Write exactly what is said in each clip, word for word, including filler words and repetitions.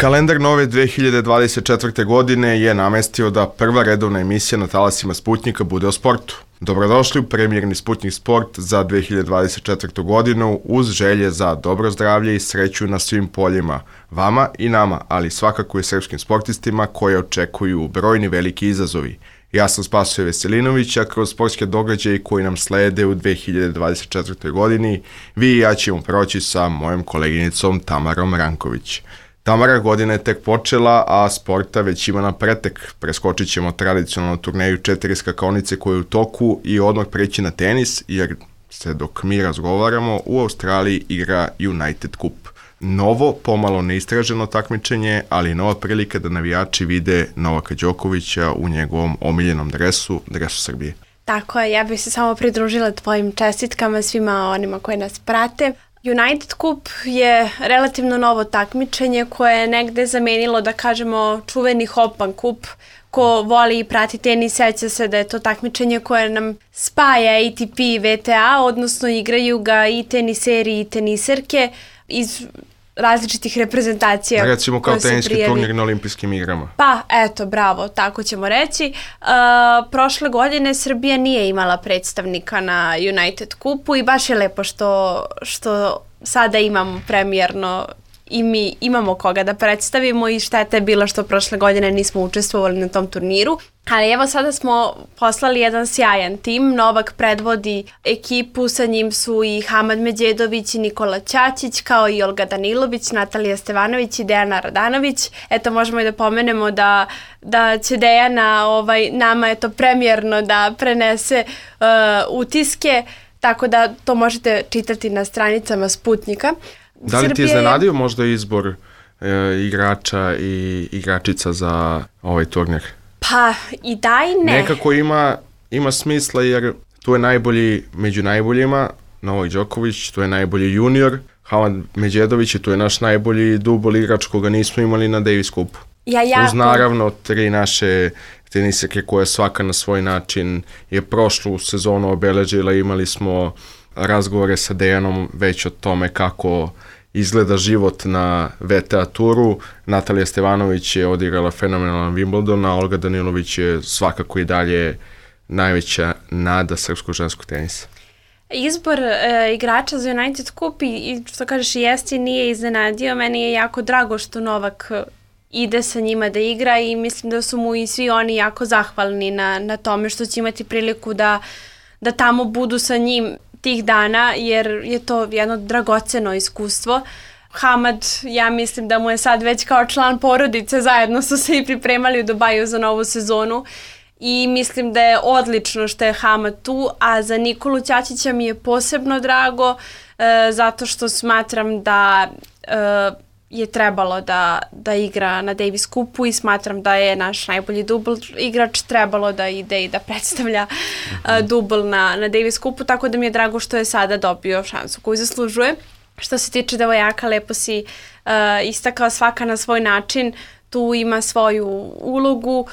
Kalendar nove dve hiljade dvadeset četvrte. godine je namestio da prva redovna emisija na talasima Sputnjika bude o sportu. Dobrodošli u premijerni Sputnjik sport za dve hiljade dvadeset četvrtu. godinu uz želje za dobro zdravlje i sreću na svim poljima, vama i nama, ali svakako i srpskim sportistima koje očekuju brojni veliki izazovi. Ja sam Spasoje Veselinović, a kroz sportske događaje koji nam slede u dve hiljade dvadeset četvrtoj. godini vi i ja ćemo proći sa mojom koleginicom Tamarom Ranković. Tamara, godina je tek počela, a sporta već ima na pretek. Preskočit ćemo tradicionalnu turneju četiri skakaonice koje je u toku i odmah preći na tenis, jer se dok mi razgovaramo u Australiji igra United Cup. Novo, pomalo neistraženo takmičenje, ali nova prilika da navijači vide Novaka Đokovića u njegovom omiljenom dresu, dresu Srbije. Tako je, ja bih se samo pridružila tvojim čestitkama svima onima koji nas prate. United Cup je relativno novo takmičenje koje je negde zamenilo, da kažemo, čuveni Hopan Cup. Ko voli i prati tenis, seća se da je to takmičenje koje nam spaja A T P i V T A, odnosno igraju ga i teniseri i teniserke iz različitih reprezentacija. Recimo kao teniski turnir na olimpijskim igrama. Pa, eto, bravo, tako ćemo reći. Uh, prošle godine Srbija nije imala predstavnika na United Cupu i baš je lepo što, što sada imamo premijerno i mi imamo koga da predstavimo i šteta je bila što prošle godine nismo učestvovali na tom turniru. Ali evo sada smo poslali jedan sjajan tim, Novak predvodi ekipu, sa njim su i Hamad Međedović i Nikola Ćaćić, kao i Olga Danilović, Natalija Stevanović i Dejana Radanović. Eto, možemo i da pomenemo da, da će Dejana ovaj, nama je to premijerno da prenese uh, utiske, tako da to možete čitati na stranicama Sputnjika. Da li ti je iznenadio možda izbor e, igrača i igračica za ovaj turnir? Pa i da i ne. Nekako ima, ima smisla jer tu je najbolji među najboljima, Novak Đoković, tu je najbolji junior, Hamad Međedović i tu je naš najbolji dubol igrač koga nismo imali na Davis Cupu. Ja, jako. Uz naravno tri naše tenisake koje svaka na svoj način je prošlu sezonu obeležila. Imali smo razgovore sa Dejanom već o tome kako izgleda život na V T A turu. Natalija Stevanović je odigrala fenomenalan Wimbledon, a Olga Danilović je svakako i dalje najveća nada srpskog ženskog tenisa. Izbor e, igrača za United Cup i, i što kažeš i jesti nije iznenadio. Meni je jako drago što Novak ide sa njima da igra i mislim da su mu i svi oni jako zahvalni na, na tome što će imati priliku da, da tamo budu sa njim tih dana, jer je to jedno dragoceno iskustvo. Hamad, ja mislim da mu je sad već kao član porodice, zajedno su se i pripremali u Dubaju za novu sezonu i mislim da je odlično što je Hamad tu, a za Nikolu Ćaćića mi je posebno drago e, zato što smatram da e, je trebalo da, da igra na Davis Cupu i smatram da je naš najbolji dubl igrač trebalo da ide i da predstavlja uh, dubl na, na Davis Cupu, tako da mi je drago što je sada dobio šansu koju zaslužuje. Što se tiče devojaka, lepo si uh, istakao, svaka na svoj način, tu ima svoju ulogu. Uh,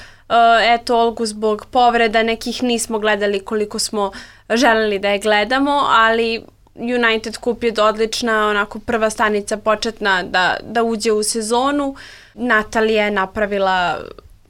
eto, Olgu zbog povreda nekih nismo gledali koliko smo želeli da je gledamo, ali United Cup je odlična, onako prva stanica početna da, da uđe u sezonu. Natalija je napravila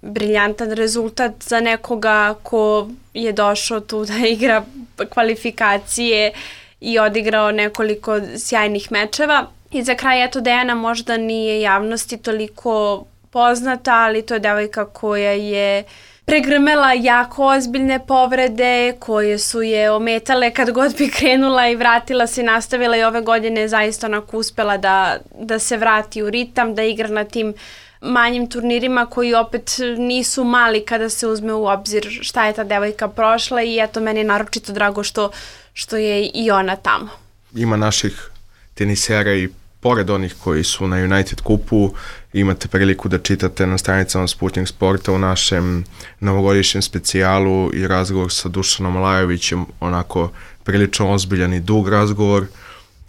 briljantan rezultat za nekoga ko je došao tu da igra kvalifikacije i odigrao nekoliko sjajnih mečeva. I za kraj, eto, Dejana možda nije javnosti toliko poznata, ali to je devojka koja je pregrmela jako ozbiljne povrede koje su je ometale kad god bi krenula i vratila se i nastavila i ove godine zaista onako uspela da, da se vrati u ritam, da igra na tim manjim turnirima koji opet nisu mali kada se uzme u obzir šta je ta devojka prošla i eto meni je naročito drago što, što je i ona tamo. Ima naših tenisera i pored onih koji su na United Cupu, imate priliku da čitate na stranicama Sputnjik sporta u našem novogodišnjem specijalu i razgovor sa Dušanom Lajovićem, onako prilično ozbiljan i dug razgovor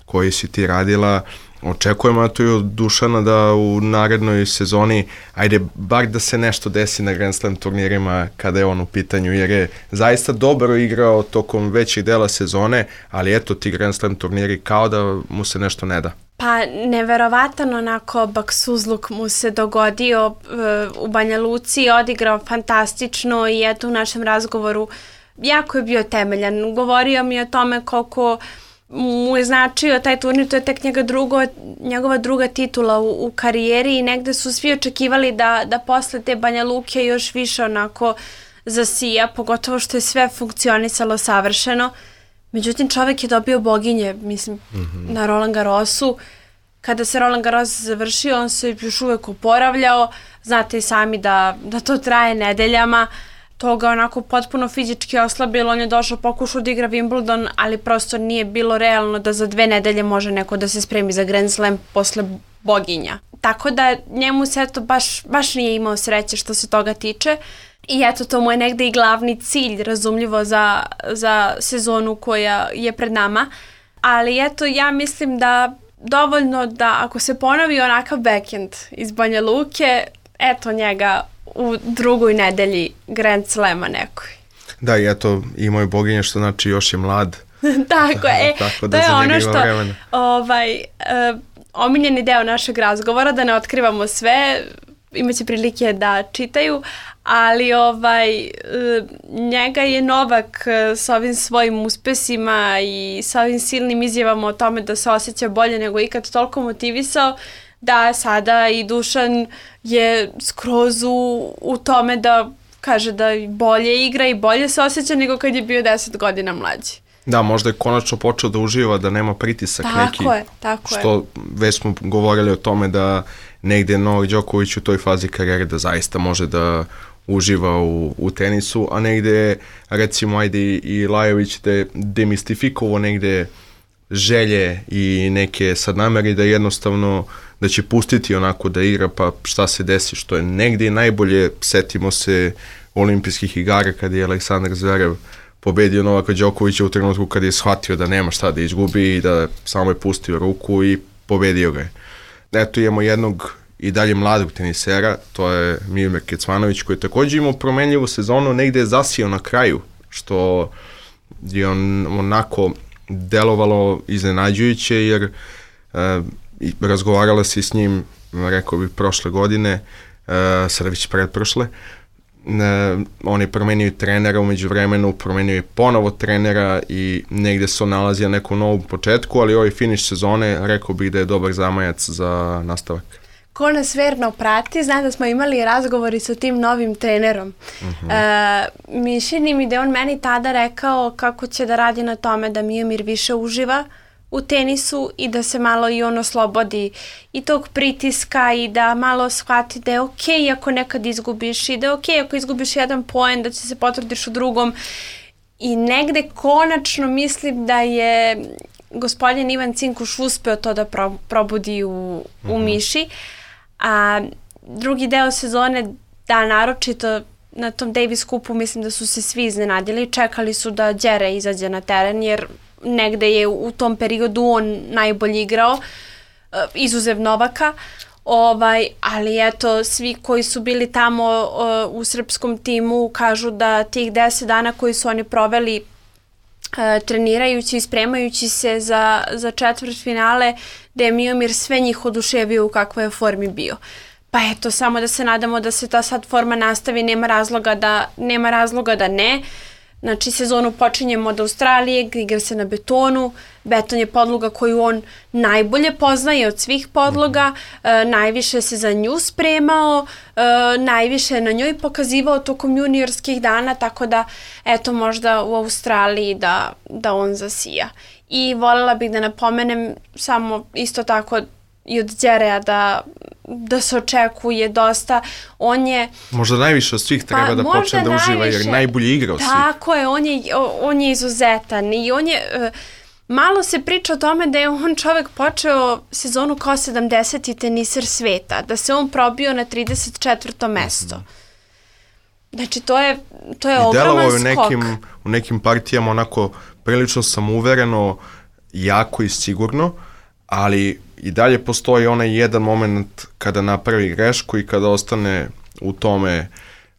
koji si ti radila. Očekujemo to i od Dušana da u narednoj sezoni, ajde, bar da se nešto desi na Grand Slam turnirima kada je on u pitanju, jer je zaista dobro igrao tokom većih dela sezone, ali eto ti Grand Slam turniri kao da mu se nešto ne da. Pa neverovatan onako baksuzluk mu se dogodio uh, u Banja Luci, odigrao fantastično i eto u našem razgovoru jako je bio temeljan. Govorio mi o tome koliko mu je značio taj turnir, to je tek njega drugo, njegova druga titula u, u karijeri i negde su svi očekivali da, da posle te Banja Luke još više onako zasija, pogotovo što je sve funkcionisalo savršeno. Međutim, čovjek je dobio boginje, mislim, mm-hmm. na Roland Garrosu. Kada se Roland Garros završio, on se još uvek oporavljao. Znate i sami da, da to traje nedeljama. To ga onako potpuno fizički oslabilo. On je došao, pokušao da igra Wimbledon, ali prosto nije bilo realno da za dve nedelje može neko da se spremi za Grand Slam posle boginja. Tako da njemu se eto baš, baš nije imao sreće što se toga tiče. I eto, to mu je negde i glavni cilj, razumljivo, za, za sezonu koja je pred nama. Ali eto, ja mislim da dovoljno da ako se ponovi onakav backhand iz Banja Luke, eto njega u drugoj nedelji Grand Slema nekoj. Da, i eto, imao je boginje, što znači još je mlad. Tako je, Tako da to je ono što, vremena. ovaj, uh, omiljeni deo našeg razgovora, da ne otkrivamo sve, imaće prilike da čitaju, ali ovaj, njega je Novak s ovim svojim uspesima i sa ovim silnim izjavama o tome da se osjeća bolje nego ikad toliko motivisao da sada i Dušan je skroz u, u tome da kaže da bolje igra i bolje se osjeća nego kad je bio deset godina mlađi. Da, možda je konačno počeo da uživa, da nema pritisak tako neki. Tako je, tako je. Što već smo govorili o tome da negde Novak Đoković u toj fazi karijere da zaista može da uživa u, u tenisu, a negde recimo ajde i Lajović da je demistifikovao negde želje i neke sad nameri da jednostavno da će pustiti onako da igra pa šta se desi, što je negde najbolje. Setimo se olimpijskih igara kada je Aleksandar Zverev pobedio Novaka Đokovića u trenutku kada je shvatio da nema šta da izgubi i da samo je pustio ruku i pobedio ga je. Eto imamo jednog i dalje mladog tenisera, to je Miomir Kecmanović, koji je također imao promenljivu sezonu, negde je zasijao na kraju, što je on onako delovalo iznenađujuće, jer e, razgovarala se s njim, rekao bih, prošle godine, e, sada već predprošle. E, on je promenio trenera umeđu vremenu, promenio je ponovo trenera i negde se on nalazi na nekom novom početku, ali ovaj finiš sezone rekao bih da je dobar zamajac za nastavak. Ko nas verno prati, zna da smo imali razgovori sa tim novim trenerom. Uh-huh. E, mišljeni mi da je on meni tada rekao kako će da radi na tome da Miomir više uživa u tenisu i da se malo i on oslobodi i tog pritiska i da malo shvati da je okej ako nekad izgubiš i da je okej ako izgubiš jedan poen, da će se potvrdiš u drugom. I negde konačno mislim da je gospodin Ivan Cinkuš uspeo to da pro, probudi u, u uh-huh. Miši. A drugi deo sezone, da, naročito na tom Davis Cupu mislim da su se svi iznenadili, čekali su da Đere izađe na teren jer negde je u tom periodu on najbolje igrao, izuzev Novaka, ovaj, ali eto svi koji su bili tamo uh, u srpskom timu kažu da tih deset dana koji su oni proveli Uh, trenirajući i spremajući se za, za četvrtfinale, da je Miomir sve njih oduševio u kakvoj je formi bio. Pa eto, samo da se nadamo da se ta sad forma nastavi, nema razloga da, nema razloga da ne. Znači, sezonu počinjemo od Australije, igra se na betonu, beton je podloga koju on najbolje poznaje od svih podloga, e, najviše se za nju spremao, e, najviše na njoj pokazivao tokom juniorskih dana, tako da, eto, možda u Australiji da, da on zasija. I voljela bih da napomenem samo isto tako i od Đereja da, da se očekuje dosta. On je... Možda najviše od svih treba pa, da počne da uživa jer najbolje igra od svih. Tako je, on je, on je izuzetan i on je... Uh, malo se priča o tome da je on čovjek počeo sezonu kao sedamdeseti teniser sveta, da se on probio na trideset četvrto mesto. Mm-hmm. Znači, to je, to je ogroman skok. I delovao je u nekim, u nekim partijama onako prilično samouvereno, jako i sigurno, ali i dalje postoji onaj jedan moment kada napravi grešku i kada ostane u tome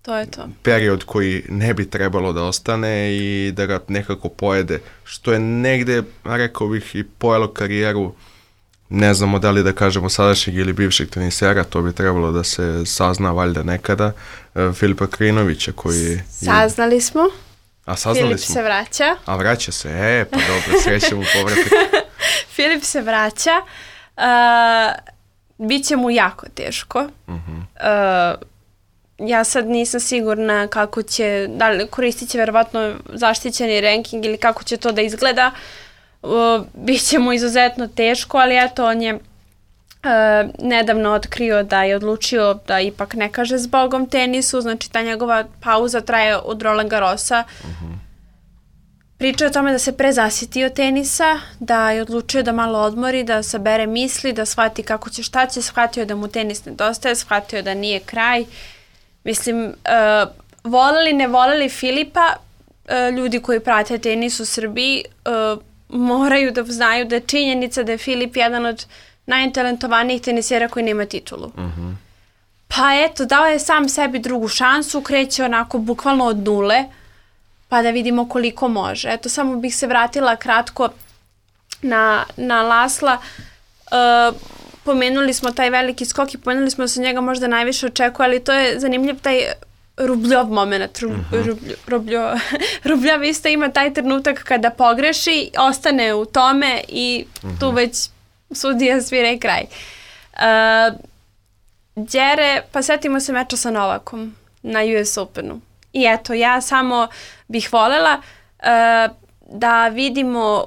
to je to. Period koji ne bi trebalo da ostane i da ga nekako pojede, što je negde, rekao bih, i pojelo karijeru ne znamo da li da kažemo sadašnjeg ili bivšeg tenisera, to bi trebalo da se sazna valjda nekada, e, Filipa Krinovića koji je... Saznali smo. A saznali Filip smo. se vraća. A vraća se, e, pa dobro, srećem u povratak. Filip se vraća. Uh, Biće mu jako teško. Uh-huh. Uh, ja sad nisam sigurna kako će, da li koristit će verovatno zaštićeni ranking ili kako će to da izgleda. Uh, Biće mu izuzetno teško, ali eto, on je uh, nedavno otkrio da je odlučio da ipak ne kaže zbogom tenisu, znači ta njegova pauza traje od Roland Garrosa. Uh-huh. Pričao je o tome da se prezasitio tenisa, da je odlučio da malo odmori, da sabere misli, da shvati kako će, šta će, shvatio da mu tenis nedostaje, shvatio da nije kraj. Mislim, uh, voleli, ne voleli Filipa, uh, ljudi koji prate tenis u Srbiji uh, moraju da znaju da je činjenica da je Filip jedan od najtalentovanijih tenisera koji nema titulu. Uh-huh. Pa eto, dao je sam sebi drugu šansu, kreće onako bukvalno od nule, pa da vidimo koliko može. Eto, samo bih se vratila kratko na, na Lasla. Uh, pomenuli smo taj veliki skok i pomenuli smo da se njega možda najviše očekuje, ali to je zanimljiv taj Rubljov moment. Rub, uh-huh. rubljo, rubljo, Rubljav isto ima taj trenutak kada pogreši, ostane u tome i uh-huh. tu već sudija svira i kraj. Uh, Đere, pa setimo se meča sa Novakom na U S Openu. I eto, ja samo bih voljela uh, da vidimo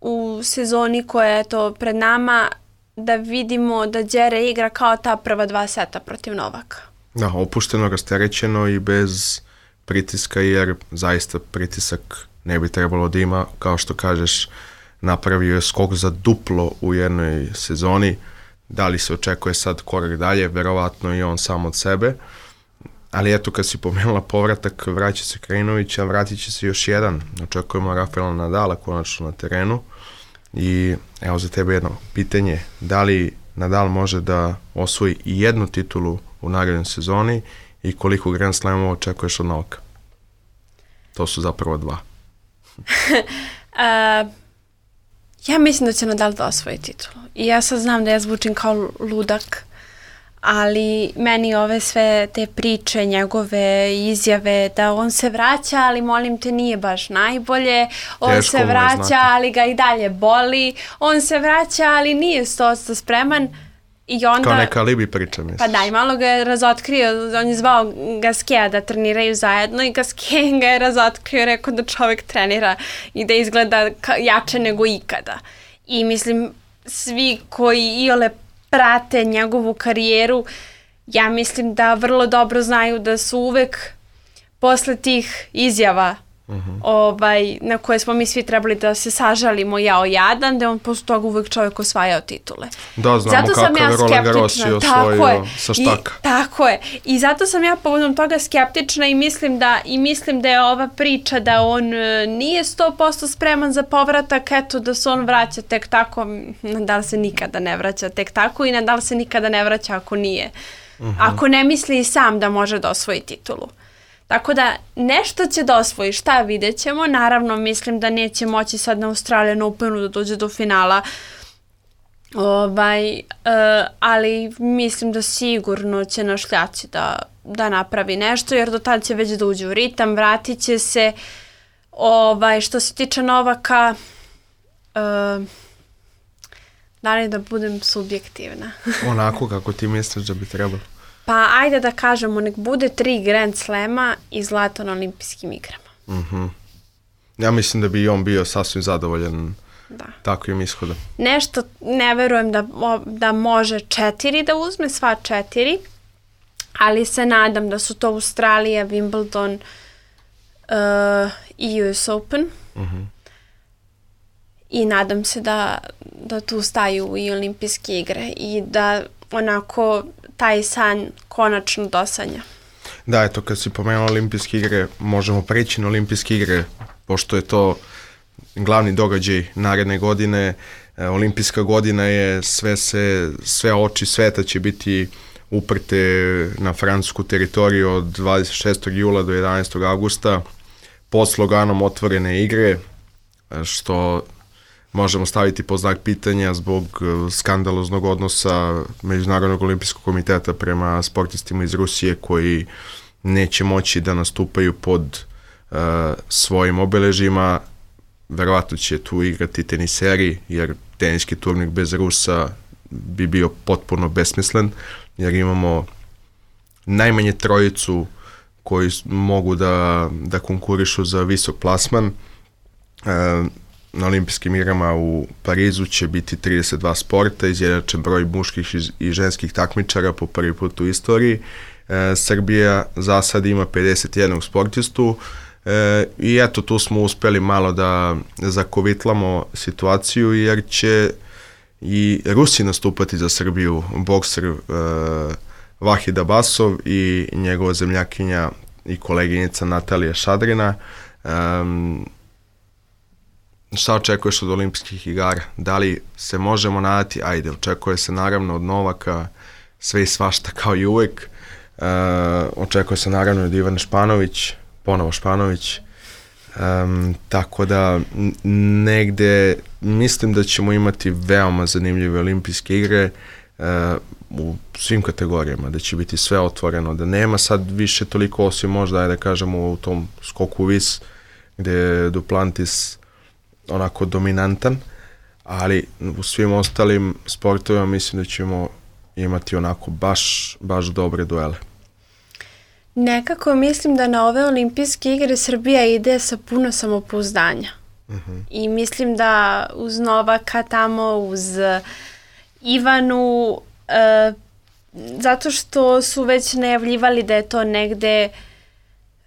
u sezoni koja je to pred nama, da vidimo da Đere igra kao ta prva dva seta protiv Novaka. Da, opušteno, rasterećeno i bez pritiska, jer zaista pritisak ne bi trebalo da ima, kao što kažeš, napravio je skok za duplo u jednoj sezoni. Da li se očekuje sad korak dalje? Verovatno i on sam od sebe. Ali eto, kad si pomenula povratak, vraća se Krinović, a vratit će se još jedan. Očekujemo Rafaela Nadala konačno na terenu. I evo za tebe jedno pitanje. Da li Nadal može da osvoji i jednu titulu u narednoj sezoni i koliko Grand Slamova očekuješ od Novaka? To su zapravo dva. uh, ja mislim da će Nadal da osvoji titulu. I ja sad znam da ja zvučim kao ludak, ali meni ove sve te priče, njegove izjave da on se vraća, ali molim te nije baš najbolje, on Teško se vraća, ali ga i dalje boli, on se vraća, ali nije sto posto spreman. I onda, kao neka alibi priča, misliš? Pa da, i malo ga je razotkrio, on je zvao Gaskea da treniraju zajedno i Gaskea ga je razotkrio, rekao da čovjek trenira i da izgleda jače nego ikada. I mislim, svi koji iole prate njegovu karijeru, ja mislim da vrlo dobro znaju da su uvek posle tih izjava uh-huh. ovaj, na koje smo mi svi trebali da se sažalimo jao jadan, da je on posle toga uvek čovjek osvajao titule. Da, znamo zato kako je Roland Garros je osvojio sa štaka. I, tako je. I zato sam ja povodom toga skeptična i mislim da, i mislim da je ova priča da on uh, nije sto posto spreman za povratak, eto da se on vraća tek tako, Nadal se nikada ne vraća tek tako i Nadal se nikada ne vraća ako nije. Uh-huh. Ako ne misli i sam da može da osvoji titulu. Tako da nešto će da osvoji, šta vidjet ćemo. Naravno, mislim da neće moći sad na Australian Openu da dođe do finala. Ovaj, uh, ali mislim da sigurno će na šljaci da, da napravi nešto, jer do tada će već da uđe u ritam, vratit će se. Ovaj, što se tiče Novaka, uh, da li da budem subjektivna? Onako kako ti misliš da bi trebalo. Pa ajde da kažemo, nek bude tri Grand Slema i zlato na olimpijskim igrama. Uh-huh. Ja mislim da bi i on bio sasvim zadovoljan da. Takvim ishodom. Nešto ne verujem da, da može četiri da uzme, sva četiri, ali se nadam da su to Australija, Wimbledon uh, i U S Open. Uh-huh. I nadam se da, da tu staju i olimpijske igre i da onako taj san konačno dosanja. Da, eto, kad si pomenula olimpijske igre, možemo preći na olimpijske igre, pošto je to glavni događaj naredne godine. E, olimpijska godina je, sve, se, sve oči sveta će biti uprte na francusku teritoriju od dvadeset šestog jula do jedanaestog avgusta pod sloganom otvorene igre, što možemo staviti pod znak pitanja zbog skandaloznog odnosa Međunarodnog olimpijskog komiteta prema sportistima iz Rusije koji neće moći da nastupaju pod uh, svojim obeležima. Verovatno će tu igrati teniseri, jer teniski turnir bez Rusa bi bio potpuno besmislen, jer imamo najmanje trojicu koji mogu da, da konkurišu za visok plasman. E, na olimpijskim igrama u Parizu će biti trideset dva sporta, izjednačen broj muških i ženskih takmičara po prvi put u istoriji. E, Srbija za sad ima pedeset jedan sportistu e, i eto tu smo uspeli malo da zakovitlamo situaciju, jer će i Rusi nastupati za Srbiju, bokser e, Vahid Abasov i njegova zemljakinja i koleginica Natalija Šadrina. Um, šta očekuješ od olimpijskih igara? Da li se možemo nadati? Ajde, očekuje se naravno od Novaka sve i svašta kao i uvek. Uh, očekuje se naravno od Ivane Španović, ponovo Španović. Um, tako da negde mislim da ćemo imati veoma zanimljive olimpijske igre uh, u svim kategorijama, da će biti sve otvoreno, da nema sad više toliko, osim možda, da kažemo, u tom skoku vis gde je Duplantis onako dominantan, ali u svim ostalim sportovima mislim da ćemo imati onako baš, baš dobre duele. Nekako mislim da na ove olimpijske igre Srbija ide sa puno samopouzdanja. Uh-huh. I mislim da uz Novaka tamo, uz Ivanu, uh, zato što su već najavljivali da je to negde,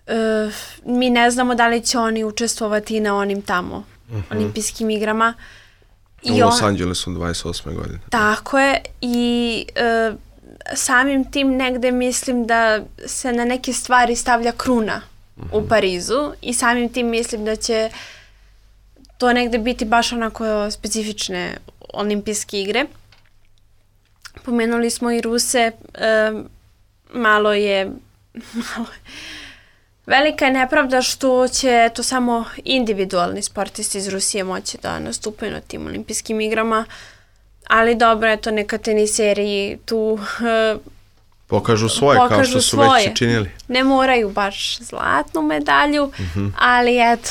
uh, mi ne znamo da li će oni učestvovati na onim tamo uh-huh. olimpijskim igrama. U Los Angelesu dvadeset osme godine. Tako je i uh, samim tim negde mislim da se na neke stvari stavlja kruna uh-huh. u Parizu i samim tim mislim da će to negde biti baš onako specifične olimpijske igre. Pomenuli smo i Ruse, um, malo je, malo je velika je nepravda što će to samo individualni sportisti iz Rusije moći da nastupaju na tim olimpijskim igrama, ali dobro, eto, neka teniseri tu uh, pokažu svoje, pokažu kao što su svoje. Već činili. Ne moraju baš zlatnu medalju, mm-hmm. ali eto.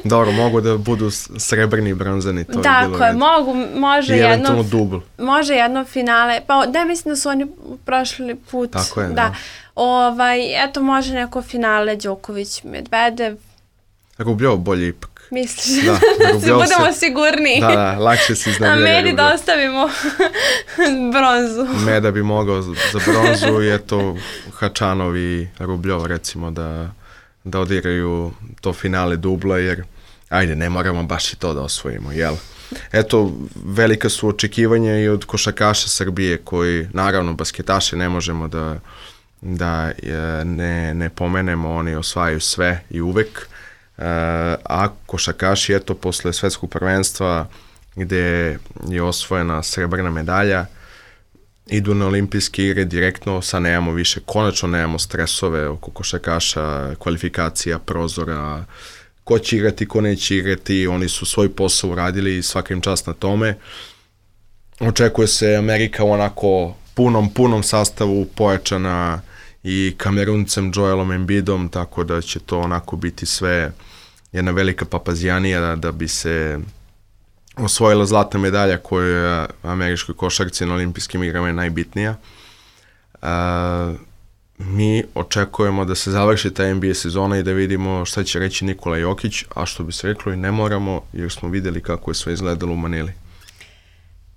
Dobro, mogu da budu srebrni i bronzani. To tako je, bilo je, mogu, može i jedno, dubl. može jedno finale, pa da, mislim da su oni prošli put. Tako je, da. da. Ovaj, eto, može neko finale Đoković, Medvedev. Rubljov bolje ipak. Misliš? Da, da budemo se, sigurni. Da, da, lakše si iznavljaju. A Medi da ostavimo bronzu. Meda bi mogao za bronzu i eto Hačanov i Rubljov recimo da, da odiraju to finale dubla, jer ajde, ne moramo baš i to da osvojimo, jel? Eto, velika su očekivanja i od košarkaša Srbije koji, naravno, basketaše ne možemo da, da ne, ne pomenemo, oni osvajaju sve i uvek. Uh, a košarkaši, eto, posle svetskog prvenstva gde je osvojena srebrna medalja, idu na olimpijske igre direktno, sad nemamo više, konačno nemamo stresove oko košarkaša, kvalifikacija, prozora, ko će igrati, ko neće igrati, oni su svoj posao uradili i svaka im čast na tome. Očekuje se Amerika u onako punom, punom sastavu, pojačana i Kameruncem Joelom Embidom, tako da će to onako biti sve jedna velika papazijanija da, da bi se osvojila zlatna medalja koja je američkoj košarci na olimpijskim igrama je najbitnija. Uh, mi očekujemo da se završi ta N B A sezona i da vidimo šta će reći Nikola Jokić, a što bi se reklo i ne moramo, jer smo videli kako je sve izgledalo u Manili.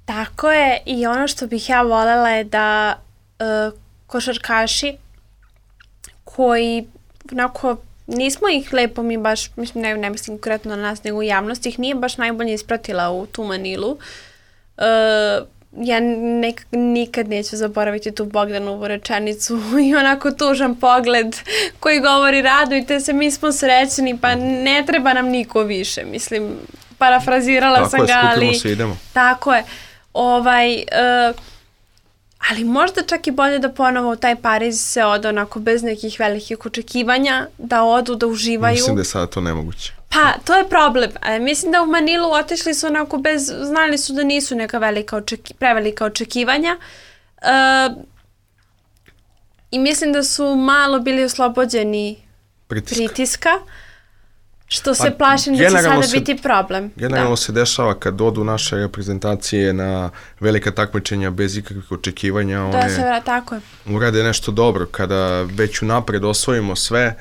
Tako je, i ono što bih ja voljela je da uh, košarkaši koji onako nismo ih lepo mi baš, mislim, ne, ne mislim konkretno na nas, nego u javnosti ih nije baš najbolje ispratila u tu Manilu. Uh, ja nek, nikad neću zaboraviti tu Bogdanovu rečenicu i onako tužan pogled koji govori radujte se, mi smo srećni, pa ne treba nam niko više, mislim, parafrazirala tako sam je, ga, ali... se, idemo. Tako je. Ovaj... Uh, ali možda čak i bolje da ponovo u taj Pariz se ode onako bez nekih velikih očekivanja, da odu, da uživaju. Mislim da je sada to nemoguće. Pa, to je problem. E, mislim da u Manilu otišli su onako bez, znali su da nisu neka velika očeki, prevelika očekivanja. E, I mislim da su malo bili oslobođeni pritiska, pritiska što se pa, plašim da će sada se, biti problem. Generalno da. se dešava kad odu naše reprezentacije na velika takmičenja bez ikakvih očekivanja. Da one se, tako je. Urade nešto dobro. Kada već unapred osvojimo sve,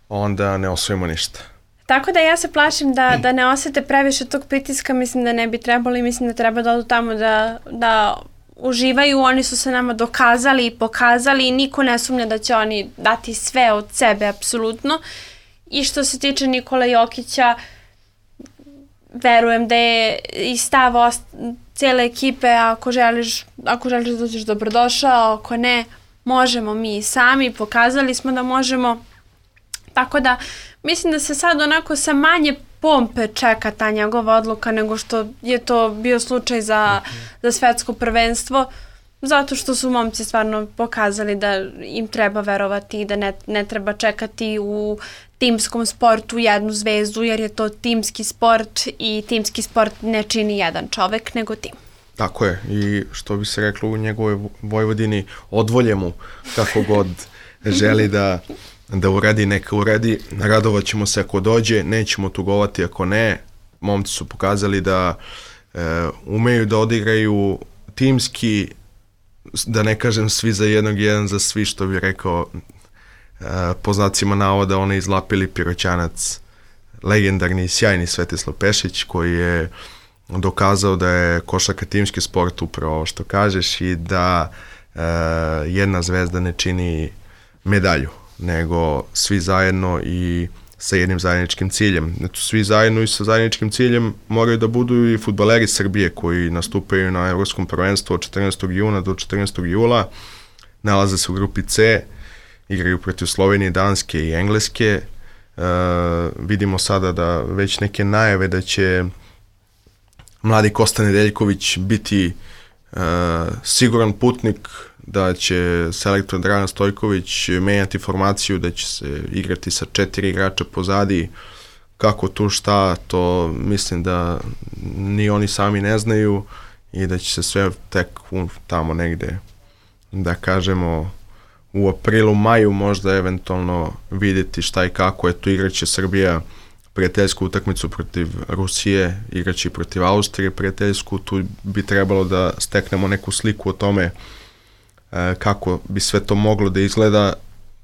onda ne osvojimo ništa. Tako da ja se plašim da, da ne osete previše tog pritiska, mislim da ne bi trebalo i mislim da treba da odu tamo da, da uživaju. Oni su se nama dokazali i pokazali i niko ne sumnja da će oni dati sve od sebe, apsolutno. I što se tiče Nikola Jokića, verujem da je i stav ost- cijele ekipe, ako želiš, ako želiš da dođeš, dobrodošao, ako ne, možemo mi sami, pokazali smo da možemo. Tako da mislim da se sad onako sa manje pompe čeka ta njegova odluka nego što je to bio slučaj za, za svetsko prvenstvo, zato što su momci stvarno pokazali da im treba verovati i da ne, ne treba čekati u timskom sportu jednu zvezdu, jer je to timski sport i timski sport ne čini jedan čovek nego tim. Tako je, i što bi se reklo u njegovoj Vojvodini, odvolje mu kako god želi da da uradi, neka uradi, radovat ćemo se ako dođe, nećemo tugovati ako ne. Momci su pokazali da e, umeju da odigraju timski, da ne kažem svi za jednog, jedan za svi, što bi rekao e, po znacima navoda onaj izlapili Piroćanac, legendarni i sjajni Svetislav Pešić, koji je dokazao da je košarka timski sport, upravo ovo što kažeš, i da e, jedna zvezda ne čini medalju, nego svi zajedno i sa jednim zajedničkim ciljem. Znači, svi zajedno i sa zajedničkim ciljem moraju da budu i fudbaleri Srbije koji nastupaju na Evropskom prvenstvu od četrnaestog juna do četrnaestog jula. Nalaze se u grupi C, igraju protiv Slovenije, Danske i Engleske. E, vidimo sada da već neke najave da će mladi Kosta Nedeljković biti e, siguran putnik, da će selektor Dragan Stojković menjati formaciju, da će se igrati sa četiri igrača pozadi. Kako tu šta, to mislim da ni oni sami ne znaju i da će se sve tek tamo negde, da kažemo, u aprilu, maju možda eventualno vidjeti šta i kako. Eto, igraće Srbija prijateljsku utakmicu protiv Rusije, igraće i protiv Austrije prijateljsku, tu bi trebalo da steknemo neku sliku o tome kako bi sve to moglo da izgleda.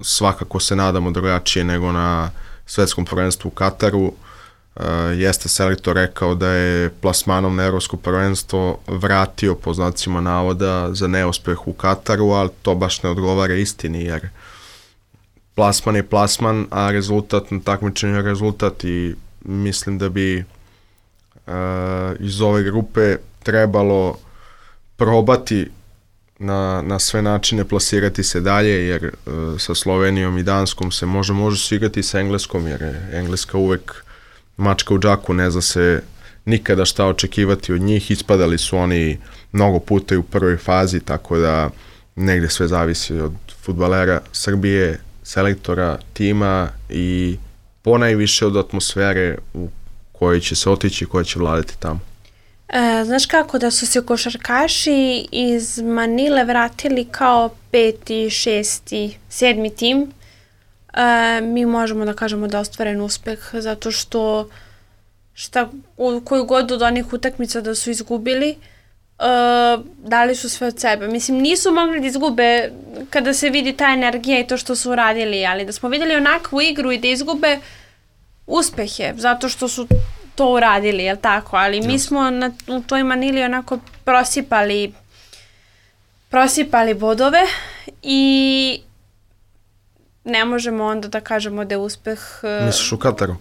Svakako se nadamo drugačije nego na svetskom prvenstvu u Kataru. Jeste selektor rekao da je plasmanom na evropsko prvenstvo vratio po znacima navoda za neuspeh u Kataru, ali to baš ne odgovara istini, jer plasman je plasman, a rezultat na takmičenju je rezultat, i mislim da bi uh, iz ove grupe trebalo probati na, na sve načine plasirati se dalje, jer uh, sa Slovenijom i Danskom se može, može se igrati sa Engleskom, jer je Engleska uvek mačka u džaku, ne zna se nikada šta očekivati od njih. Ispadali su oni mnogo puta i u prvoj fazi, tako da negde sve zavisi od fudbalera Srbije, selektora, tima i ponajviše od atmosfere u kojoj će se otići i koja će vladati tamo. E, znaš kako, da su se košarkaši iz Manile vratili kao peti, šesti, sedmi tim, e, mi možemo da kažemo da je ostvaren uspeh, zato što šta, u koju god od onih utakmica da su izgubili, Uh, dali su sve od sebe. Mislim, nisu mogli da izgube kada se vidi ta energija i to što su uradili, ali da smo vidjeli onakvu igru i da izgube, uspeh je, zato što su to uradili, jel tako? Ali mi smo na, u toj Manili onako prosipali prosipali bodove i ne možemo onda da kažemo da je uspeh... Uh, Misliš u Kataru?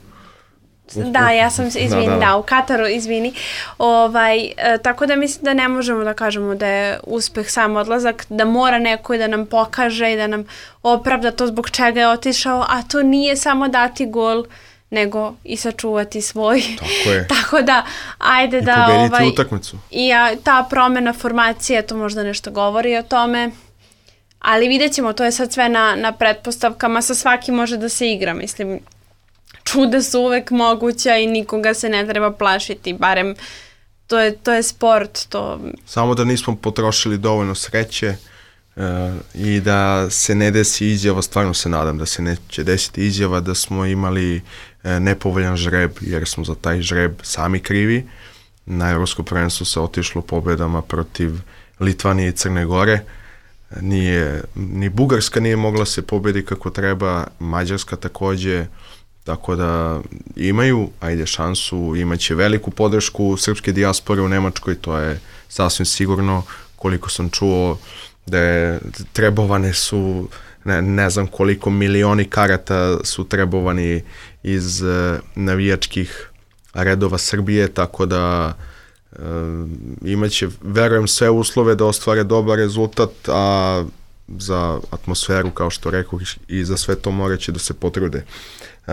Da, ja sam, izvini, da, da. da, u Kataru, izvini. Ovaj, e, tako da mislim da ne možemo da kažemo da je uspeh sam odlazak, da mora neko i da nam pokaže i da nam opravda to zbog čega je otišao, a to nije samo dati gol, nego i sačuvati svoj. Tako je. Tako da, ajde I da... I pobediti ovaj, utakmicu. I a, ta promena formacije, to možda nešto govori o tome, ali vidjet ćemo, to je sad sve na, na pretpostavkama, sa svakim može da se igra, mislim. čuda su uvek moguća i nikoga se ne treba plašiti, barem to je, to je sport. To... Samo da nismo potrošili dovoljno sreće uh, i da se ne desi izjava, stvarno se nadam da se neće desiti izjava da smo imali uh, nepovoljan žreb, jer smo za taj žreb sami krivi. Na Evropsko prvenstvo se otišlo pobedama protiv Litvanije i Crne Gore. Nije, ni Bugarska nije mogla se pobedi kako treba, Mađarska takođe, tako da imaju, ajde, šansu, imaće veliku podršku srpske dijaspore u Nemačkoj, to je sasvim sigurno, koliko sam čuo da je trebovane su, ne, ne znam koliko milioni karata su trebovani iz uh, navijačkih redova Srbije, tako da uh, imaće, verujem, sve uslove da ostvare dobar rezultat, a za atmosferu, kao što rekao, i za sve to moraće da se potrude. Uh,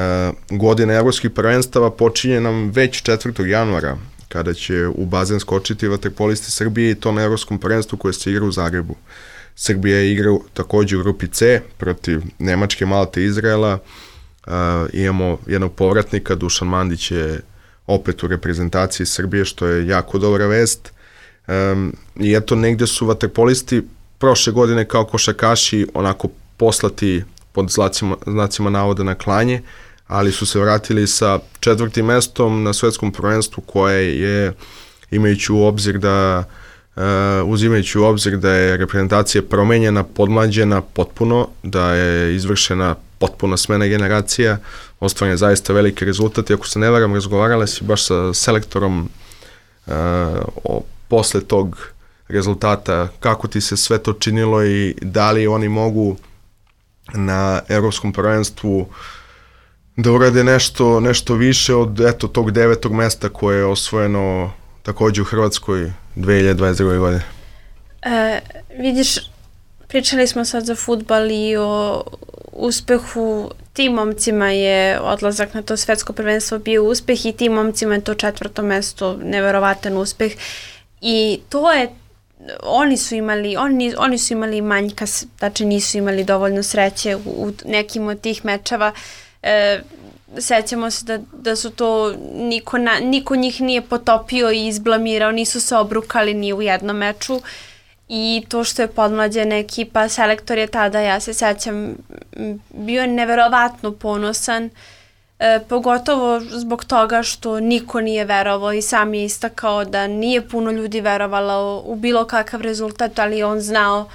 godina evropskih prvenstava počinje nam već četvrtog januara, kada će u bazen skočiti vaterpolisti Srbije i to na evropskom prvenstvu koje se igra u Zagrebu. Srbija je igra takođe u grupi C protiv Nemačke, Malte i Izraela. Uh, imamo jednog povratnika, Dušan Mandić je opet u reprezentaciji Srbije, što je jako dobra vest. Um, I eto, negde su vaterpolisti prošle godine kao košarkaši onako poslati pod znacima, znacima navoda na klanje, ali su se vratili sa četvrtim mestom na svetskom prvenstvu koje je, imajući u obzir da uh, uzimajući u obzir da je reprezentacija promenjena, podmlađena potpuno, da je izvršena potpuna smena generacija, ostvaren je zaista veliki rezultat i ako se ne varam, razgovarala si baš sa selektorom uh, o, posle tog rezultata, kako ti se sve to činilo i da li oni mogu na evropskom prvenstvu da urade nešto, nešto više od eto, tog devetog mesta koje je osvojeno takođe u Hrvatskoj dve hiljade dvadeset druge. godine. E, vidiš, pričali smo sad za fudbal i o uspehu. Tim momcima je odlazak na to svetsko prvenstvo bio uspeh i tim momcima je to četvrto mesto neverovatan uspeh i to je oni su imali oni, oni su imali manjka, znači nisu imali dovoljno sreće u, u nekim od tih mečeva. E, sećamo se da, da su to niko, na, niko njih nije potopio i izblamirao, nisu se obrukali ni u jednom meču i to što je podmlađena ekipa, selektor je tada, ja se sećam, bio neverovatno ponosan, e, pogotovo zbog toga što niko nije verovao i sam je istakao da nije puno ljudi verovalo u bilo kakav rezultat, ali on znao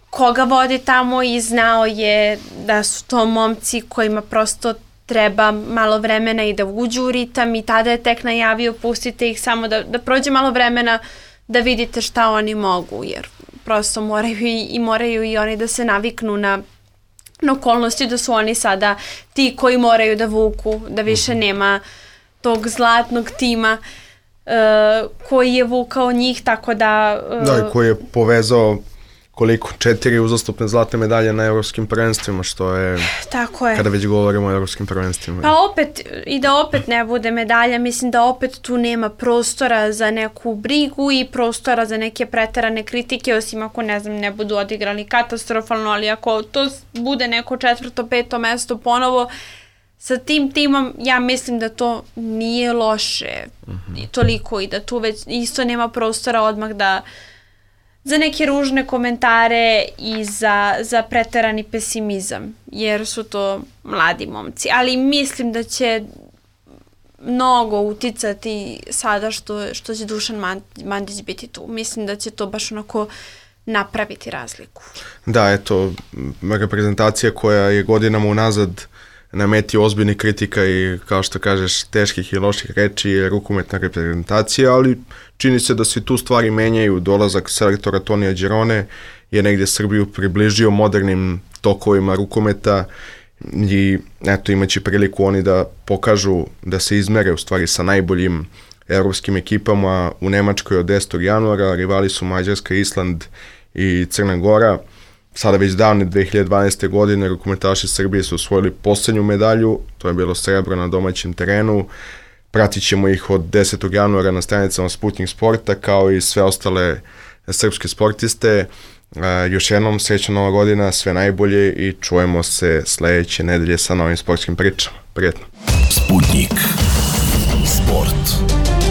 koga vodi tamo i znao je da su to momci kojima prosto treba malo vremena i da uđu u ritam i tada je tek najavio pustite ih samo da, da prođe malo vremena da vidite šta oni mogu, jer prosto moraju i, i moraju i oni da se naviknu na, na okolnosti da su oni sada ti koji moraju da vuku, da više nema tog zlatnog tima uh, koji je vukao njih, tako da... Uh, da, i koji je povezao koliko, četiri uzastopne zlatne medalje na evropskim prvenstvima, što je, tako je, kada već govorimo o evropskim prvenstvima. Pa opet, i da opet ne bude medalja, mislim da opet tu nema prostora za neku brigu i prostora za neke preterane kritike, osim ako, ne znam, ne budu odigrali katastrofalno, ali ako to bude neko četvrto, peto mesto ponovo, sa tim timom, ja mislim da to nije loše uh-huh. toliko i da tu već isto nema prostora odmah da za neke ružne komentare i za, za preterani pesimizam, jer su to mladi momci. Ali mislim da će mnogo uticati sada što, što će Dušan Mandić biti tu. Mislim da će to baš onako napraviti razliku. Da, eto, reprezentacija koja je godinama unazad na meti ozbiljnih kritika i, kao što kažeš, teških i loših reči je rukometna reprezentacija, ali čini se da se tu stvari menjaju. Dolazak selektora Tonija Đerone je negdje Srbiju približio modernim tokovima rukometa i eto, imaće priliku oni da pokažu, da se izmere u stvari sa najboljim evropskim ekipama u Nemačkoj od desetog januara. Rivali su Mađarska, Island i Crna Gora. Sada već davne dve hiljade dvanaeste. godine rukometaši Srbije su osvojili poslednju medalju, to je bilo srebro na domaćem terenu. Pratit ćemo ih od desetog januara na stranicama Sputnik Sporta, kao i sve ostale srpske sportiste. Uh, još jednom srećna nova godina, sve najbolje i čujemo se sledeće nedelje sa novim sportskim pričama. Prijetno. Sputnik. Sport.